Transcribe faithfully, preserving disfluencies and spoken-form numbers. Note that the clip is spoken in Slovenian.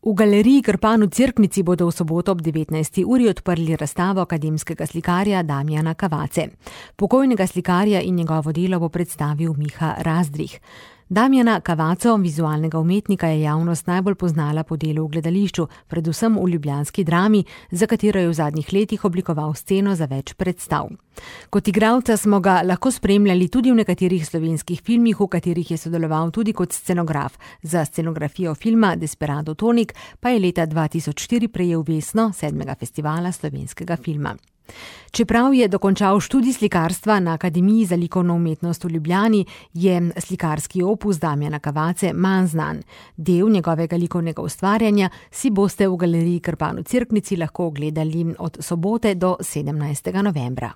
V galeriji Krpan v Cerknici bodo v soboto ob devetnajsti uri odprli razstavo akademskega slikarja Damjana Kavace. Pokojnega slikarja in njegovo delo bo predstavil Miha Razdrih. Damjana Kavaco, vizualnega umetnika, je javnost najbolj poznala po delu v gledališču, predvsem v ljubljanski Drami, za katero je v zadnjih letih oblikoval sceno za več predstav. Kot igralca smo ga lahko spremljali tudi v nekaterih slovenskih filmih, v katerih je sodeloval tudi kot scenograf. Za scenografijo filma Desperado Tonik pa je leta dva tisoč štiri prejel vesno sedmega festivala slovenskega filma. Čeprav je dokončal študij slikarstva na Akademiji za likovno umetnost v Ljubljani, je slikarski opus Damjana Kavace manj znan. Del njegovega likovnega ustvarjanja si boste v galeriji Krpan v Cerknici lahko ogledali od sobote do sedemnajstega novembra.